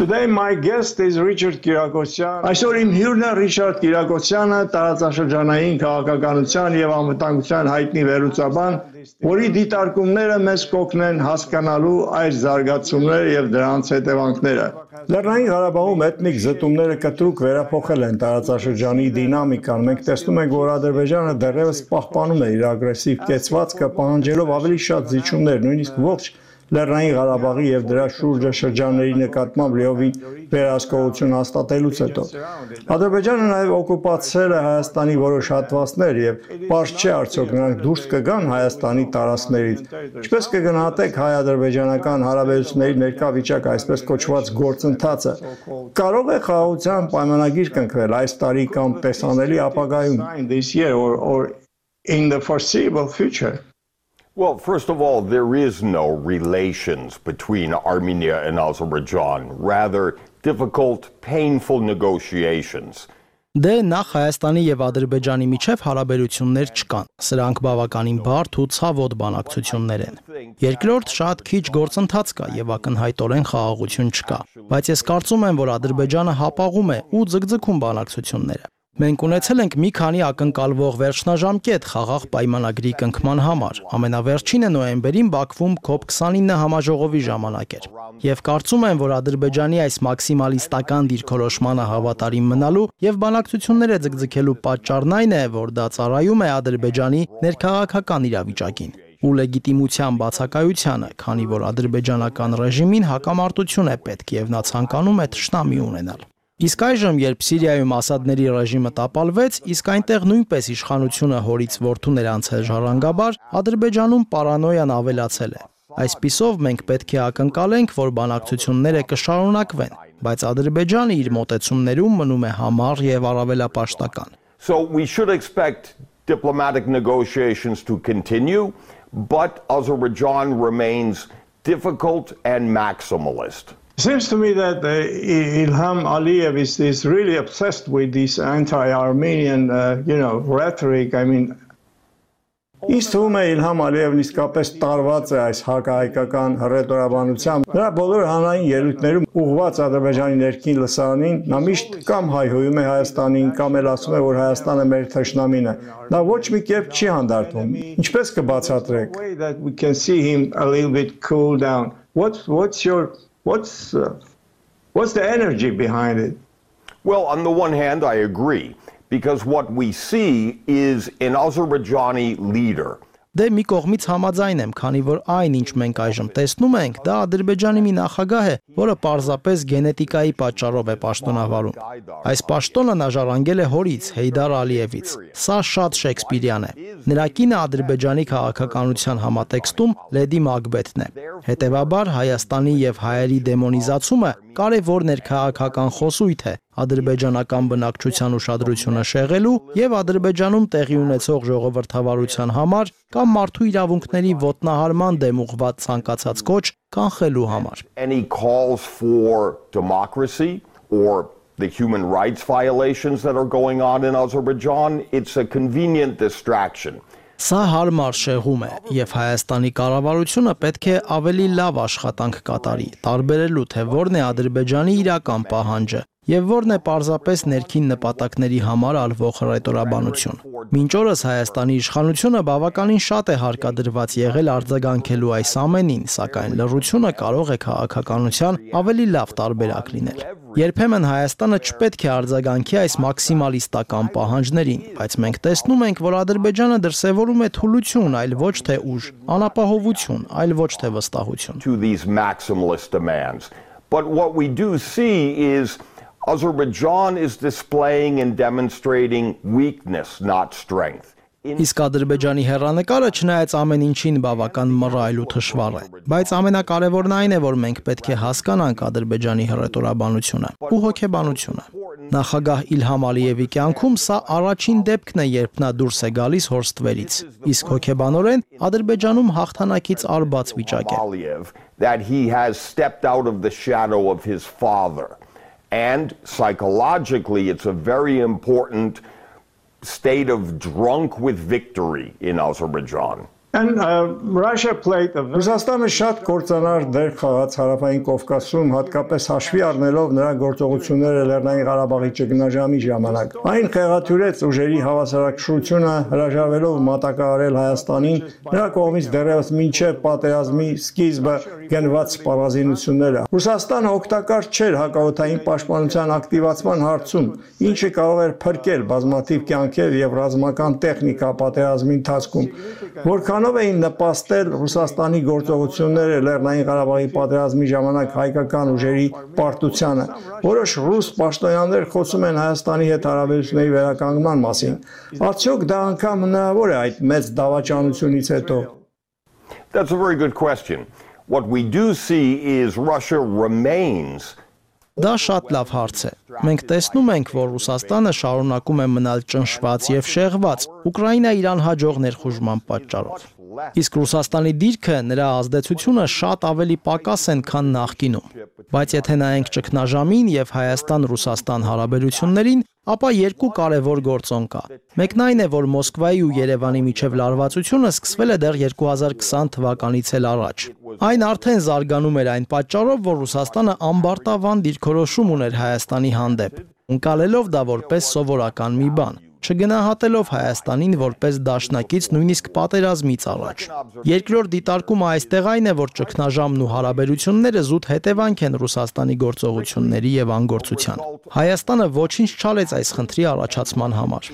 Today my guest is Richard Kyriakosyan. Այսօր իմ հյուրն է Ռիչարդ Կիրակոսյանը, տարածաշրջանային քաղաքականության եւ անվտանգության հայտնի վերլուծաբան, որի դիտարկումները մեզ կօգնեն հասկանալու այս զարգացումները եւ դրանց հետևանքները։ Լեռնային Ղարաբաղում էթնիկ զտումները կտրուկ վերափոխել են տարածաշրջանի դինամիկան։ Մենք տեսնում ենք, որ Ադրբեջանը դեռևս պահպանում է իր ագրեսիվ կեցվածքը, պահանջելով ավելի շատ զիջումներ, նույնիսկ ողջ Լեռնային Ղարաբաղի եւ դրա շուրջը շրջանների նկատմամբ լիովին վերահսկողություն հաստատելուց հետո Ադրբեջանը նաեւ օկուպացրել է Հայաստանի որոշ հատվածներ եւ պարզ չէ արդյոք նրանք դուրս կգան Հայաստանի տարածքներից։ Ինչպես կգնահատեք հայ-ադրբեջանական հարաբերությունների ներկա վիճակը, այսպես կոչված գործընթացը։ Կարող է խաղաղության պայմանագիր կնքվել այս տարի կամ տեսանելի ապագայում։ Well, first of all, there is no relations between Armenia and Azerbaijan, rather difficult, painful negotiations. Դե նախ Հայաստանի եւ Ադրբեջանի միջև հարաբերություններ չկան։ Սրանք բավականին բարդ ու ցավոտ բանակցություններ են։ Երկրորդ, շատ քիչ գործընթաց կա եւ ակնհայտորեն խաղաղություն չկա։ Բայց ես կարծում եմ, որ Ադրբեջանը հապաղում է ու ձգձգում բանակցությունները։ Մենք ունեցել ենք մի քանի ակնկալվող վերջնաժամկետ խաղաղ պայմանագրի կնքման համար։ Ամենավերջինը նոյեմբերին Բաքվում COP29 համաժողովի ժամանակ էր։ Եվ կարծում եմ, որ Ադրբեջանի այս մաքսիմալիստական դիրքորոշմանը հավատարիմ մնալու եւ բանակցությունները ձգձգելու պատճառն այն է, որ դա ծառայում է Ադրբեջանի ներքաղաքական իրավիճակին ու լեգիտիմության բացակայությանը, քանի որ ադրբեջանական ռեժիմին հակամարտություն է պետք եւ նա ցանկանում է թշնամի ունենալ։ Իսկ այժմ, երբ Սիրիայում Ասադների ռեժիմը տապալվեց, իսկ այնտեղ նույնպես իշխանությունը հորից որդուն էր անցել ժառանգաբար, Ադրբեջանում պարանոյան ավելացել է։ Այսպիսով մենք պետք է ակնկալենք, որ բանակցությունները կշարունակվեն, բայց Ադրբեջանը իր մոտեցումներում մնում է համառ եւ առավելապաշտական։ So we should expect diplomatic negotiations to continue, but Azerbaijan remains difficult and maximalist. Seems to me that Ilham Aliyev is really obsessed with this anti-Armenian, rhetoric. I mean, Իսկ թվում է Իլհամ Ալիևն իսկապես տարված է այս հակահայկական հռետորաբանությամբ։ Նրա բոլոր հանրային ելույթներում ուղղված Ադրբեջանի ներքին լսարանին նա միշտ կամ հայհոյում է Հայաստանին, կամ էլ ասում է, որ Հայաստանը մեր թշնամին է։ Նա ոչ մի կերպ չի հանդարտվում։ Ինչպես կբացատրեք։ What's the energy behind it? Well, on the one hand, I agree. Because what we see is an Azerbaijani leader. Դե մի կողմից համաձայն եմ, քանի որ այն, ինչ մենք այժմ տեսնում ենք, դա Ադրբեջանի մի նախագահ է, որը պարզապես գենետիկայի պատճառով է պաշտոնավարում։ Այս պաշտոնը նա ժառանգել է հորից, Հեյդար Ալիևից։ Սա շատ շեքսպիրյան է։ Նրա կինը Ադրբեջանի քաղաքականության համատեքստում Լեդի Մակբեթն է։ Հետևաբար Հայաստանի եւ հայերի դեմոնիզացումը կարևոր ներքաղաքական խոսույթ է ադրբեջանական բնակչության ուշադրությունը շեղելու եւ Ադրբեջանում տեղի ունեցող ժողովրդավարության համար կամ մարդու իրավունքների ոտնահարման դեմ ուղղված ցանկացած կոչ կանխելու համար։ Any calls for democracy or the human rights violations that are going on in Azerbaijan, it's a convenient distraction. Սա հարմար շեղում է եւ Հայաստանի կառավարությունը պետք է ավելի լավ աշխատանք կատարի, տարբերելու թե որն է Ադրբեջանի իրական պահանջը եւ որն է պարզապես ներքին նպատակների համար ալվող հռետորաբանություն։ Մինչ օրս Հայաստանի իշխանությունը բավականին շատ է հարկադրված եղել արձագանքելու այս ամենին, սակայն լռությունը կարող է քաղաքականության ավելի լավ տարբերակ լինել։ Երբեմն Հայաստանը չպետք է արձագանքի այս մաքսիմալիստական պահանջներին, բայց մենք տեսնում ենք, որ Ադրբեջանը դրսևորում է թուլություն, այլ ոչ թե ուժ, անապահովություն, այլ ոչ թե վստահություն։ To these maximalist demands. But what we do see is Azerbaijan is displaying and demonstrating weakness, not strength. Իսկ Ադրբեջանի հեռանկարը չնայած ամեն ինչին բավական մռայլ ու թշվառ է, բայց ամենակարևորն այն է, որ մենք պետք է հասկանանք Ադրբեջանի հռետորաբանությունը ու հոգեբանությունը։ Նախագահ Իլհամ Ալիևի կյանքում սա առաջին դեպքն է, երբ նա դուրս է գալիս հորստվերից, իսկ հոգեբանորեն Ադրբեջանում հաղթանակից արբաց վիճակ է։ That he has stepped out of the shadow of his father. And psychologically, it's a very important state of drunk with victory in Azerbaijan. Ռուսաստանը շատ կործանար դեր խաղաց Հարավային Կովկասում, հատկապես հաշվի առնելով նրա գործողությունները Լեռնային Ղարաբաղի ճգնաժամի ժամանակ։ Այն խեղաթյուրեց ուժերի հավասարակշռությունը, հրաժարվելով մատակարարել Հայաստանին, նրա կողմից դեռևս մինչև պատերազմի սկիզբը գնված սպառազինությունները։ Ռուսաստանը օգտակար չէր հակաօդային պաշտպանության ակտիվացման հարցում, ինչը կարող էր փրկել բազմաթիվ կյանքեր եւ ռազմական տեխնիկա պատերազմի ընթացքում, որքանով էին նպաստել Ռուսաստանի գործողությունները Լեռնային Ղարաբաղի պատերազմի ժամանակ հայկական ուժերի պարտությանը։ Որոշ ռուս պաշտոնյաներ խոսում են Հայաստանի հետ հարաբերությունների վերականգնման մասին։ Արդյոք դա անգամ հնարավոր է այդ մեծ դավաճանությունից հետո։ That's a very good question. What we do see is Russia remains. Դա շատ լավ հարց է։ Մենք տեսնում ենք, որ Ռուսաստանը շարունակում է մնալ ճնշված եւ շեղված Ուկրաինա-Իրան հաջող ներխուժման պատճառով։ Իսկ Ռուսաստանի դիրքը, նրա ազդեցությունը շատ ավելի պակաս են, քան նախկինում։ Բայց եթե նայենք ճգնաժամին եւ Հայաստան-Ռուսաստան հարաբերություններին, ապա երկու կարևոր գործոն կա։ Մեկն այն է, որ Մոսկվայի ու Երևանի միջև լարվածությունը սկսվել է դեռ 2020 թվականից էլ առաջ։ Այն արդեն զարգանում էր այն պատճառով, որ Ռուսաստանը ամբարտավան դիրքորոշում ուներ Հայաստանի հանդեպ, ընկալելով դա որպես սովորական մի բան, չգնահատելով Հայաստանին որպես դաշնակից նույնիսկ պատերազմից առաջ։ Երկրորդ դիտարկումը այստեղ այն է, որ ճգնաժամն ու հարաբերությունները զուտ հետևանք են Ռուսաստանի գործողությունների եւ անգործության։ Հայաստանը ոչինչ չարեց այս խնդրի առաջացման համար։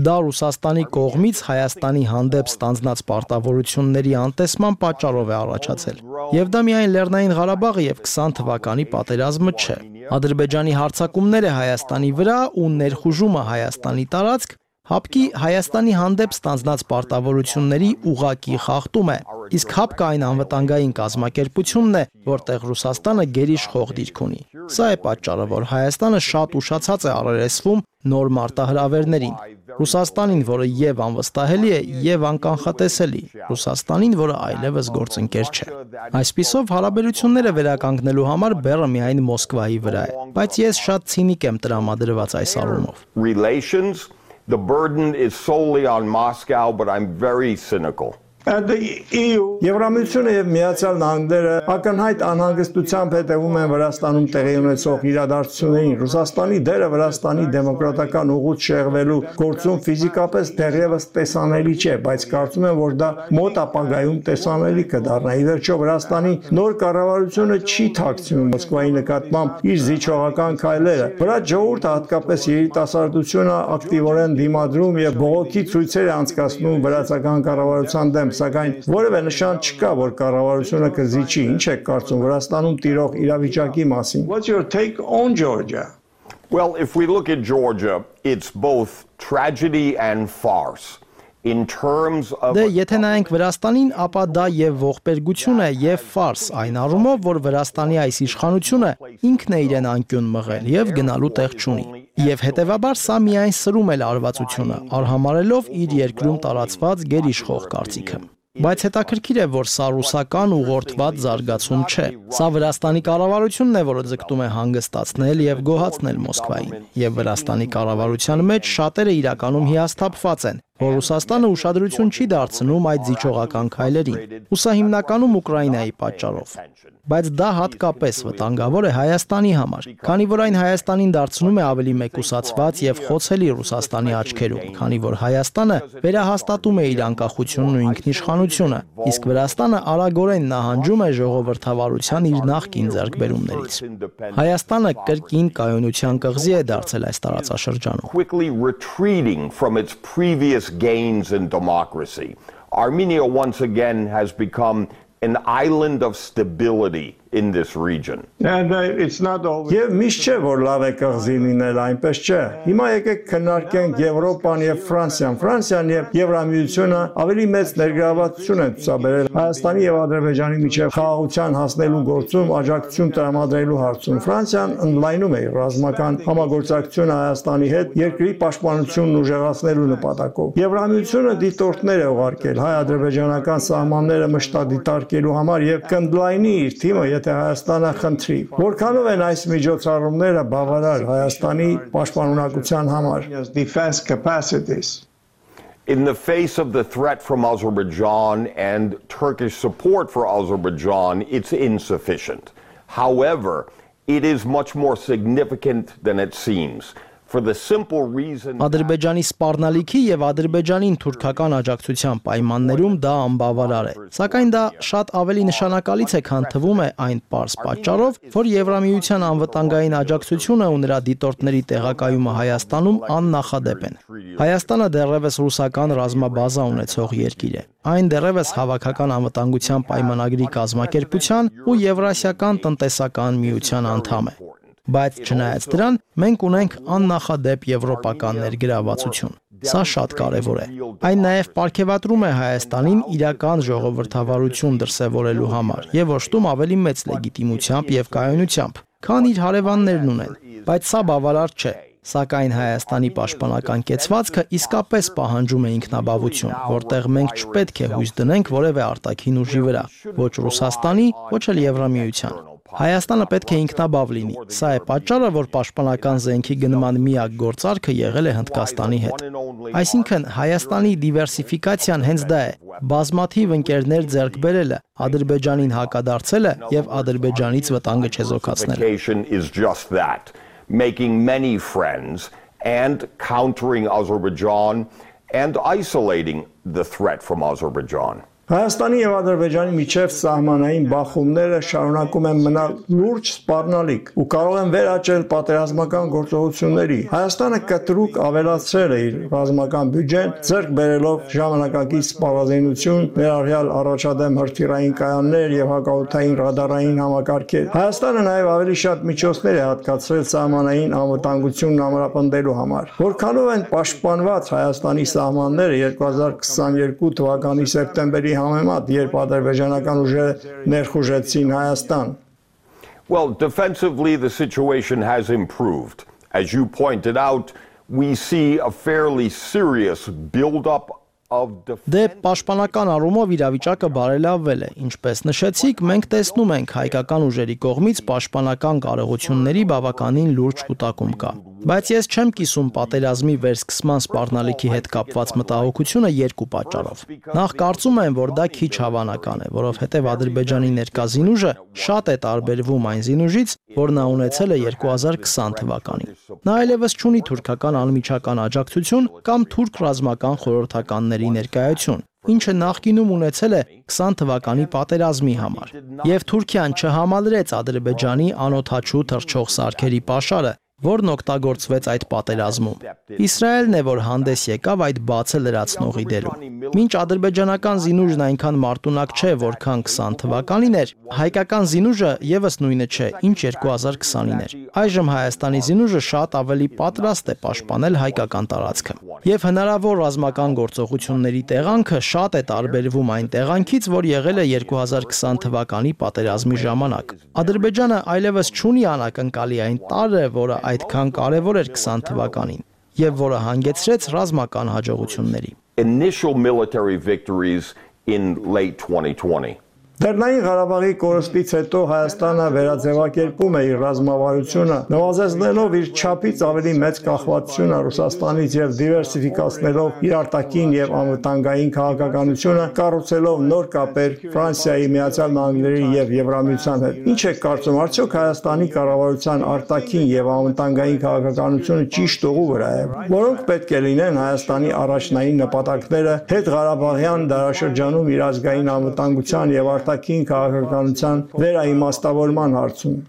Դա Ռուսաստանի կողմից Հայաստանի հանդեպ ստանձնած պարտավորությունների անտեսման պատճառով է առաջացել։ Եվ դա միայն Լեռնային Ղարաբաղը եւ 20 թվականի պատերազմը չէ։ Ադրբեջանի հարձակումները Հայաստանի վրա ու ներխուժումը Հայաստանի տարածք ՀԱՊԿ-ի Հայաստանի հանդեպ ստանձնած պարտավորությունների ուղղակի խախտում է, իսկ ՀԱՊԿ-ը այն անվտանգային կազմակերպությունն է, որտեղ Ռուսաստանը գերիշխող դիրք ունի։ Սա է պատճառը, որ Հայաստանը շատ ուշացած է առերեսվում նոր մարտահրավերներին։ Ռուսաստանին, որը եւ անվստահելի է, եւ անկանխատեսելի, Ռուսաստանին, որը այլևս գործընկեր չէ։ Այսպիսով հարաբերությունները վերականգնելու համար բեռը միայն Մոսկվայի վրա է, բայց ես շատ ցինիկ եմ տրամադրված այս առումով։ The burden is solely on Moscow, but I'm very cynical. Եվրամիությունը եւ Միացյալ Նահանգները ակնհայտ անհանգստությամբ հետևում են Վրաստանում տեղի ունեցող իրադարձություններին։ Ռուսաստանի դերը Վրաստանի դեմոկրատական ուղուց շեղվելու գործում ֆիզիկապես դեռևս տեսանելի չէ, բայց կարծում եմ, որ դա մոտ ապագայում տեսանելի կդառնա։ Ի վերջո Վրաստանի նոր կառավարությունը չի թաքցնում Մոսկվայի նկատմամբ իր զիջողական քայլերը։ Վրա ժողովուրդը, հատկապես երիտասարդությունը, ակտիվորեն դիմադրում եւ բողոքի ցույցեր է անցկացնում վրացական կառավարության դեմ, սակայն որևէ նշան չկա, որ կառավարությունը կզիջի։ Ինչ եք կարծում Վրաստանում տիրող իրավիճակի մասին։ What's your take on Georgia? Well, if we look at Georgia, it's both tragedy and farce. In terms of Դե եթե նայենք Վրաստանին, ապա դա եւ ողբերգություն է եւ ֆարս, այն առումով, որ Վրաստանի այս իշխանությունը ինքն է իրեն անկյուն մղել եւ գնալու տեղ չունի։ Եվ հետեւաբար սա միայն սրում է լարվածությունը, արհամարելով իր երկրում տարածված գերիշխող կարծիքը։ Բայց հետաքրքիր է, որ սա ռուսական ուղղորդված զարգացում չէ։ Սա Վրաստանի կառավարությունն է, որը ձգտում է հանգստացնել եւ գոհացնել Մոսկվային։ Եվ Վրաստանի կառավարության մեջ շատերը իրականում հիասթափված են, որ Ռուսաստանը ուշադրություն չի դարձնում այդ զիջողական քայլերին։ Ու սա հիմնականում Ուկրաինայի պատճառով։ Բայց դա հատկապես վտանգավոր է Հայաստանի համար, քանի որ այն Հայաստանին դարձնում է ավելի մեկուսացված եւ խոցելի Ռուսաստանի աչքերում, քանի որ Հայաստանը վերահաստատում է իր անկախությունն ու ինքնիշխանությունը, իսկ Վրաստանը արագորեն նահանջում է ժողովրդավարության իր նախկին ձեռքբերումներից։ Հայաստանը կրկին կայունության կղզի է դարձել այս տարածաշրջանում։ quickly retreating from its previous gains in democracy. Armenia once again has become an island of stability in this region. And it's not always. Եվ միշտ չէ, որ լավ է կղզի լինել, այնպես չէ։ Հիմա եկեք քննարկենք Եվրոպան եւ Ֆրանսիան։ Ֆրանսիան եւ Եվրամիությունը ավելի մեծ ներգրավվածություն են ցուցաբերել Հայաստանի եւ Ադրբեջանի միջև խաղաղության հասնելու գործում աջակցություն տրամադրելու հարցում։ Ֆրանսիան ընդլայնում է ռազմական համագործակցությունը Հայաստանի հետ երկրի պաշտպանությունն ուժեղացնելու նպատակով։ Եվրամիությունը դիտորդներ է ուղարկել հայ-ադրբեջանական սահմանները մշտադիտարկելու համար եւ կընդլայնի իր թիմը, եթե Հայաստանը խնդրի։ Որքանով են այս միջոցառումները բավարար Հայաստանի պաշտպանունակության համար։ Defense capacities. In the face of the threat from Azerbaijan and Turkish support for Azerbaijan, it's insufficient. However, it is much more significant than it seems. For the simple reason Ադրբեջանի սպառնալիքի եւ Ադրբեջանին թուրքական աջակցության պայմաններում դա անբավարար է։ Սակայն դա շատ ավելի նշանակալից է, քան թվում է այն պարզ պատճառով, որ Եվրամիության անվտանգային աջակցությունը ու նրա դիտորդների տեղակայումը Հայաստանում աննախադեպ են։ Հայաստանը դեռևս ռուսական ռազմաբազա ունեցող երկիր է։ Այն դեռևս հավաքական անվտանգության պայմանագրի կազմակերպության ու Եվրասիական տնտեսական միության անդամ է։ Բայց չնայած դրան, մենք ունենք աննախադեպ եվրոպական ներգրավվածություն։ Սա շատ կարևոր է։ Այն նաև պարգևատրում է Հայաստանին իրական ժողովրդավարություն դրսևորելու համար եւ օժտում ավելի մեծ լեգիտիմությամբ եւ կայունությամբ, քան իր հարևաններն ունեն։ Բայց սա բավարար չէ։ Սակայն Հայաստանի պաշտպանական կեցվածքը իսկապես պահանջում է ինքնաբավություն, որտեղ մենք չպետք է հույս դնենք որևէ արտաքին ուժի վրա, ոչ Ռուսաստանի, ոչ էլ Եվրամիության։ Հայաստանը պետք է ինքնաբավ լինի։ Սա է պատճառը, որ պաշտպանական զենքի գնման միակ գործարքը եղել է Հնդկաստանի հետ։ Այսինքն Հայաստանի դիվերսիֆիկացիան հենց դա է։ Բազմաթիվ ընկերներ ձեռք բերելը, Ադրբեջանին հակադարձելը եւ Ադրբեջանից վտանգը չեզոքացնելը։ Making many friends and countering Azerbaijan and isolating the threat from Azerbaijan. Հայաստանի եւ Ադրբեջանի միջև սահմանային բախումները շարունակում են մնալ լուրջ սպառնալիք ու կարող են վերաճել պատերազմական գործողությունների։ Հայաստանը կտրուկ ավելացրել է իր ռազմական բյուջեն, ձեռք բերելով ժամանակակից սպառազինություն, ներառյալ առաջադեմ հրթիռային կայաններ եւ հակաօդային ռադարային համակարգեր։ Հայաստանը նաեւ ավելի շատ միջոցներ է հատկացրել սահմանային անվտանգությունն ամրապնդելու համար։ Որքանով են պաշտպանված Հայաստանի սահմանները 2022 թվականի սեպտեմբերի համեմատ, երբ ադրբեջանական ուժերը ներխուժեցին Հայաստան? Well, defensively the situation has improved. As you pointed out, we see a fairly serious build-up of Դե պաշտպանական առումով իրավիճակը բարելավվել է։ Ինչպես նշեցիք, մենք տեսնում ենք հայկական ուժերի կողմից պաշտպանական կարողությունների բավականին լուրջ կուտակում կա։ Բայց ես չեմ կիսում պատերազմի վերսկսման սպառնալիքի հետ կապված մտահոգությունը երկու պատճառով։ Նախ կարծում եմ, որ դա քիչ հավանական է, որովհետև Ադրբեջանի ներկա զինուժը շատ է տարբերվում այն զինուժից, որ նա ունեցել է 2020 թվականին։ Նա այլևս չունի թուրքական անմիջական աջակցություն կամ թուրք ռազմական խորհրդականների ներկայություն, ինչը նախկինում ունեցել է 20 թվականի պատերազմի համար։ Եվ Թուրքիան չհամալրեց Ադրբեջանի անօդաչու թռչող սարքերի պաշարը, որն օգտագործվեց այդ պատերազմում։ Իսրայելն է, որ հանդես եկավ այդ բացը լրացնողի դերում։ Մինչ ադրբեջանական զինուժն այնքան մարտունակ չէ, որքան 20 թվականին էր, հայկական զինուժը եւս նույնը չէ, ինչ 2020-ին էր։ Այժմ Հայաստանի զինուժը շատ ավելի պատրաստ է պաշտպանել հայկական տարածքը։ Եվ հնարավոր ռազմական գործողությունների տեղանքը շատ է տարբերվում այն տեղանքից, որ եղել է 2020 թվականի պատերազմի ժամանակ։ Ադրբեջանը այլևս չունի անակնկալի այն տարրը, որը այդքան կարևոր էր 20 թվականին եւ որը հանգեցրեց ռազմական հաջողությունների։ Initial military victories in late 2020. Լեռնային Ղարաբաղի կորստից հետո Հայաստանը վերաձևակերպում է իր ռազմավարությունը, նվազեցնելով իր չափից ավելի մեծ կախվածությունը Ռուսաստանից եւ դիվերսիֆիկացնելով իր արտաքին եւ անվտանգային քաղաքականությունը, կառուցելով նոր կապեր Ֆրանսիայի, Միացյալ Նահանգների եւ Եվրամիության հետ։ Ինչ է կարծում, արդյոք Հայաստանի կառավարության արտաքին եւ անվտանգային քաղաքականությունը ճիշտ ուղու վրա է, որոնք պետք է լինեն Հայաստանի առաջնային նպատակները հետղարաբաղյան դարաշրջանում իր ազգային անվտանգության եւ արտաքին քաղաքականության վերաիմաստավորման հարցում։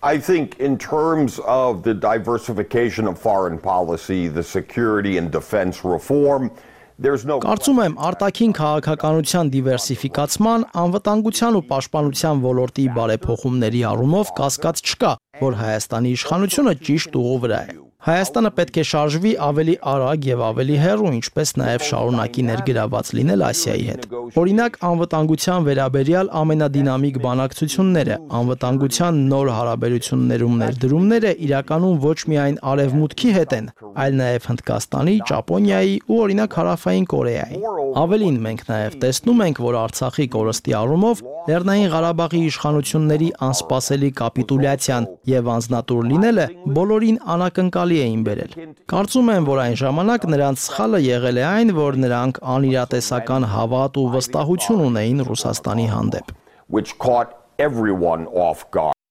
I think in terms of the diversification of foreign policy, the security and defense reform, there's no Կարծում եմ արտաքին քաղաքականության դիվերսիֆիկացման, անվտանգության ու պաշտպանության ոլորտի բարեփոխումների առումով կասկած չկա, որ Հայաստանի իշխանությունը ճիշտ ուղու վրա է։ Հայաստանը պետք է շարժվի ավելի արագ եւ ավելի հեռու, ինչպես նաեւ շարունակի ներգրաված լինել Ասիայի հետ։ Օրինակ, անվտանգության վերաբերյալ ամենադինամիկ բանակցությունները, անվտանգության նոր հարաբերություններում ներդրումները իրականում ոչ միայն Արևմուտքի հետ են, այլ նաեւ Հնդկաստանի, Ճապոնիայի ու օրինակ Հարավային Կորեայի։ Ավելին, մենք նաեւ տեսնում ենք, որ Արցախի կորստի առումով Լեռնային Ղարաբաղի իշխանությունների անսպասելի կապիտուլյացիան եւ անձնատուր լինելը բոլորին անակնկալի տալի էին բերել։ Կարծում եմ, որ այն ժամանակ նրանց սխալը եղել է այն, որ նրանք անիրատեսական հավատ ու վստահություն ունեին Ռուսաստանի հանդեպ։ Which caught everyone off guard.